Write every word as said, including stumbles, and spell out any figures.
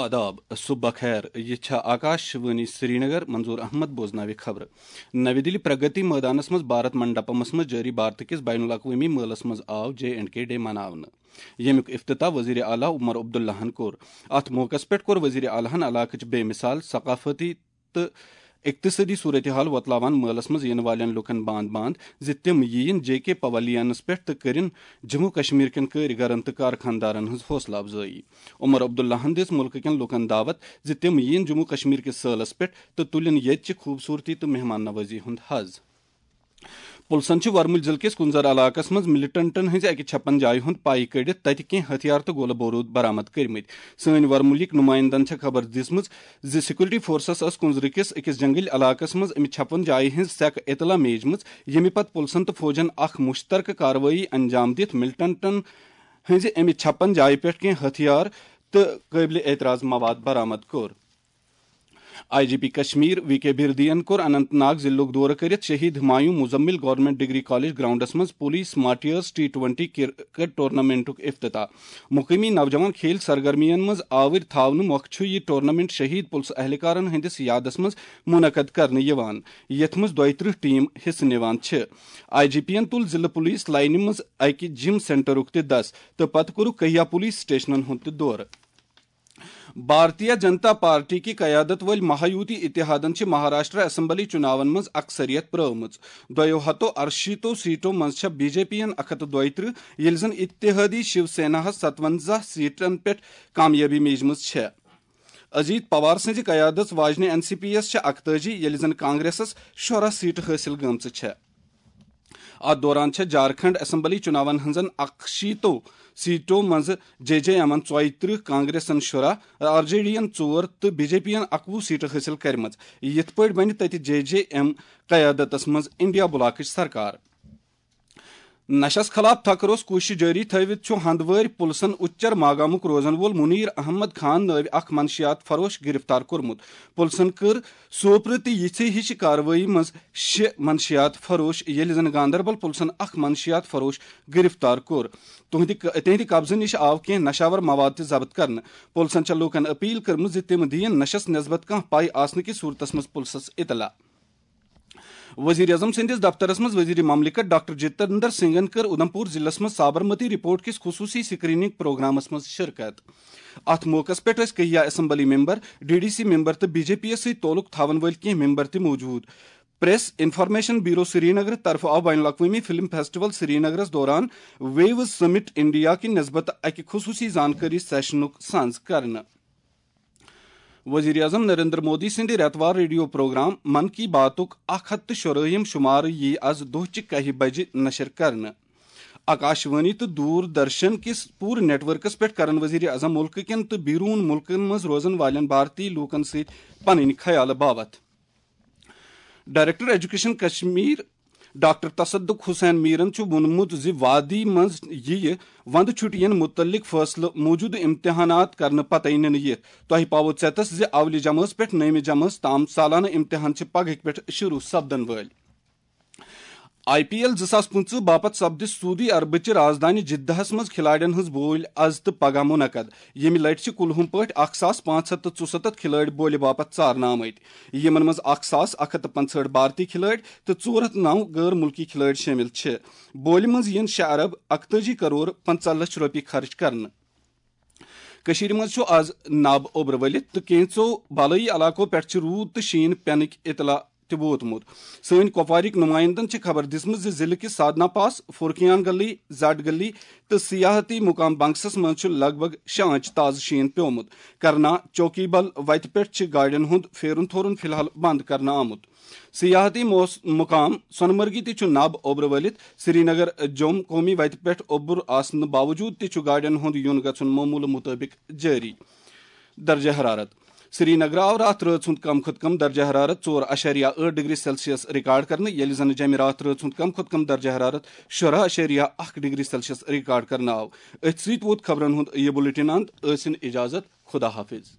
آداب، صبح بخیر۔ یہِ چھا آکاش وانی سرینگر۔ منظور احمد بوزناوِ خبرٕ۔ نوِ دِلہِ پرگتی مٲدانس منٛز بھارت منڈپمس منٛز جٲری بھارت کِس بین الاقوٲمی مٲلس منٛز آو جے اینڈ کے ڈے مناونہٕ، ییٚمیُک افتتاح وزیر اعلیٰ عمر عبداللہن کوٚر۔ اتھ موقعس پٮ۪ٹھ کوٚر وزیر اعلیٰ ہن علاقٕچ بے مثال ثقافتی تہٕ اقتصٲدی صورتحال وۄتلاوان مٲلس منٛز یِنہٕ والٮ۪ن لوٗکن باند باند زِ تِم یِیِن جے کے پویلینس پٮ۪ٹھ تہٕ کٔرِن جموں کشمیر کٮ۪ن کٲرۍ گرن تہٕ کارخانہٕ دارن ہٕنٛز حوصلہٕ افزٲیی۔ عمر عبداللہن دِژ مُلکہٕ کٮ۪ن لوٗکن دعوت زِ تِم یِیِن جموں کشمیر کِس سٲلس پٮ۪ٹھ تہٕ تُلِن ییٚتہِ چہِ خوٗبصوٗرتی تہٕ مہمان نوٲزی ہُنٛد حظ۔ پُلسن چھِ ورمُلۍ ضلعہٕ کِس کُنزر علاقس منٛز ملیٹنٹن ہٕنٛزِ اَکہِ چھپن جایہِ ہُنٛد پاے کٔڑِتھ تتہِ کینٛہہ ہتھیار تہٕ گولہٕ بوروٗد برآمد کٔرمٕتۍ۔ سٲنۍ ورمُلِک نُمٲیندن چھےٚ خبر دِژمٕژ زِ سیکورٹی فورسز ٲس کُنزرٕ کِس أکِس جنگلی علاقس منٛز اَمہِ چھپن جایہِ ہٕنٛز سیکہٕ اطلاع میجمٕژ، ییٚمہِ پتہٕ پُلسن تہٕ فوجن اکھ مُشترکہٕ کاروٲیی انجام دِتھ ملیٹنٹن ہٕنٛزِ اَمہِ چھپن جایہِ پٮ۪ٹھ کینٛہہ ہتھیار تہٕ قٲبلِ اعتراض مواد برآمد کوٚر۔ I G P Kashmir V K بھردین کوٚر اننت ناگ ضلعُک دورٕ کٔرِتھ شہید Humayun Muzamil government degree college grounds منٛز police martyrs T twenty cricket ٹورنامنٹُک افتتاح۔ مقٲمی نوجوان کھیل سرگرمین منٛز آوٕرۍ تھاونہٕ مۄکھٕ چھُ یہِ ٹورنامنٹ شہید پُلسہٕ اہلکارن ہٕنٛدِس یادس منٛز منعقد کرنہٕ یِوان، یتھ منٛز دۄیہِ ترٕٛہ ٹیم حصہٕ نِوان چھِ۔ آئی جی پی ین تُل ضلعہٕ پولیس لائنہِ منٛز اکہِ جم سینٹرُک تہِ دس تہٕ پتہٕ کوٚرُکھ کہیا پولیس سٹیشنن ہُنٛد تہِ دورٕ۔ بھارتیہ جنتا پارٹی کہِ قیادت وٲلۍ مہایوتی اتحادن چھِ مہاراشٹرا اسمبلی چُناون منٛز اکثریت پرٲومٕژ۔ دۄیو ہتو ارشیٖتو سیٹو منٛز چھےٚ بی جے پی ین اکھ ہتھ تہٕ دۄیہِ ترٕٛہ، ییٚلہِ زن اتحادی شیو سیناہس ستونزہ سیٹن پٮ۪ٹھ کامیٲبی میجمٕژ چھےٚ۔ اجیت پوار سٕنٛزِ قیادت واجنہِ این سی پی یس چھےٚ اکتٲجی، ییٚلہِ زن کانگریسس شُراہ سیٹہٕ حٲصِل گٔمژٕ چھےٚ۔ اتھ دوران چھےٚ جھارکھنڈ اسمبلی چُناون ہٕنٛزن اکشیٖتو سیٹو منٛزٕ جے جے ایمن ژۄیہِ ترٕٛہ، کانگریسن شُراہ، آر جے ڈی ین ژور تہٕ بی جے پی ین اکوُہ سیٹہٕ حٲصِل کرِمژٕ۔ یِتھ پٲٹھۍ بنہِ تتہِ جے جے ایم قیادتس منٛز انڈیا بلاکٕچ سرکار۔ نشس خلاف تھکروس کوٗشش جٲری تھٲوِتھ چھُ ہندوٲرۍ پُلسن اُچر ماگامُک روزن وول منیر احمد خان نٲوۍ اکھ منشیات فروش گرفتار کوٚرمُت۔ پُلسن کٔر سوپرٕ تہِ یِژھے ہِش کاروٲیی منٛز شےٚ منشیات فروش، ییٚلہِ زن گاندربل پُلسن اکھ منشیات فروش گرفتار کوٚر۔ تُہنٛدِ ق-، تِہنٛدِ قبضہٕ نِش آو کینٛہہ نشاور مواد تہِ ضبط کرنہٕ۔ پُلسن چھےٚ لوٗکن اپیل کٔرمٕژ زِ تِم دِیِن نشس نسبت کانٛہہ پاے آسنہٕ کِس صورتس منٛز پُلسس اطلاع۔ وزیر اعظم سٕنٛدِس دفترس منٛز وزیر مملکت ڈاکٹر جتندر سنگھن کٔر اُدھمپور ضلعس منٛز سابرمتی رپورٹ کِس خصوٗصی سکریننگ پروگرامس منٛز شرکت۔ اتھ موقعس پٮ۪ٹھ ٲسۍ کہیا assembly member, D D C member تہٕ بی جے پی یس سۭتۍ تعلق تھاون وٲلۍ کینٛہہ ممبر تہِ موجود۔ پریس انفارمیشن بیورو سرینگر طرفہٕ آو بین الاقوٲمی فلم فیسٹیول سرینگرس دوران ویوز سمٹ انڈیا کہِ نسبت اکہِ خصوٗصی زانکٲری سیشنُک سانز کرنہٕ۔ وزیر اعظم نریندر مودی سٕنٛدِ رٮ۪توار ریڈیو پروگرام من کی باتُک اکھ ہتھ تہٕ شُرٲہِم شمارٕ یِیہِ از دۄہچہِ کاہہِ بجہِ نشر کرنہٕ۔ آکاش وانی تہٕ دوٗر درشن کِس پوٗرٕ نیٹ ورکس پٮ۪ٹھ کرن وزیر اعظم مُلکہٕ کٮ۪ن تہٕ بیروٗن مُلکن منٛز روزن والٮ۪ن بھارتی لوٗکن سۭتۍ پنٕنۍ خیالہٕ باوتھ۔ Director education Kashmir doctor Tasaduq Hussain میرن چھُ ووٚنمُت زِ وادی منٛز یِیہِ وندٕ چھُٹین مُتعلق فٲصلہٕ موٗجوٗدٕ امتحانات کرنہٕ پتے نِنہٕ یِتھ۔ تۄہہِ پاوو ژیتس زِ اولہِ جمٲژ پٮ۪ٹھ نٔیمہِ جمٲژ تام سالانہٕ امتحان چھِ پگہٕکۍ پٮ۪ٹھ شروع سپدن وٲلۍ۔ آئی پی ایل زٕ ساس پٕنٛژٕہ باپتھ سپدِ سعودی عربٕچہِ رازدانہِ جدہس منٛز کھلاڑٮ۪ن ہٕنٛز بولۍ از تہٕ پگاہ منعقد۔ ییٚمہِ لٹہِ چھِ کُلہُم پٲٹھۍ اکھ ساس پانٛژھ ہتھ تہٕ ژُسَتتھ کھلٲڑۍ بولہِ باپتھ ژارنہٕ آمٕتۍ۔ یِمن منٛز اکھ ساس اکھ ہتھ تہٕ پنٛژہٲٹھ بھارتی کھلٲڑۍ تہٕ ژور ہتھ نو غٲر مُلکی کھلٲڑۍ شٲمِل چھِ۔ بولہِ منٛز یِن شےٚ ارب اکتٲجی کرور پنٛژاہ لچھ رۄپیہِ خرٕچ کرنہٕ۔ کٔشیٖرِ منٛز چھُ آز نب اوٚبرٕ ؤلِتھ تہٕ کینٛژو بالٲیی علاقو پٮ۪ٹھ چھِ روٗد تہٕ شیٖن پٮ۪نٕکۍ اطلاع تہِ ووتمُت۔ سٲنۍ کۄپوارٕکۍ نُمٲیندن چھِ خبر دِژمٕژ زِ ضلعہٕ کِس سادنا پاس، فورکیان گلی، زٹ گلی تہٕ سیاحتی مقام بنگسس منٛز چھُ لگ بھگ شےٚ آنچہِ تازٕ شیٖن پیومُت۔ کرنا چوکی بل وتہِ پٮ۪ٹھ چھِ گاڑٮ۪ن ہُنٛد پھیرُن تھورُن فی الحال بند کرنہٕ آمُت۔ سیاحتی موس-، مقام سونمرگہِ تہِ چھُ نب اوٚبرٕ ؤلِتھ۔ سرینگر جوم قومی وتہِ پٮ۪ٹھ اوٚبُر آسنہٕ باوجوٗد تہِ چھُ گاڑٮ۪ن ہُنٛد یُن گژھُن معموٗلہٕ مُطٲبِق جٲری۔ درجہ حرارت۔ سرینگرٕ آو راتھ رٲژ ہُنٛد کم کھۄتہٕ کم درجہ حرارت ژور اَشاریہ ٲٹھ ڈگری سیلسیس ریکارڈ کرنہٕ، ییٚلہِ زَن جیٚمہِ راتھ رٲژ ہُنٛد کم کھۄتہٕ کم درجہ حرارت شُراہ اَشاریہ اَکھ ڈگری سیلسیس ریکارڈ کرنہٕ آو۔ أتھۍ سۭتۍ ووت خبرن ہُنٛد یہِ بُلٹن اند۔ ٲسِن اجازت، خدا حافظ۔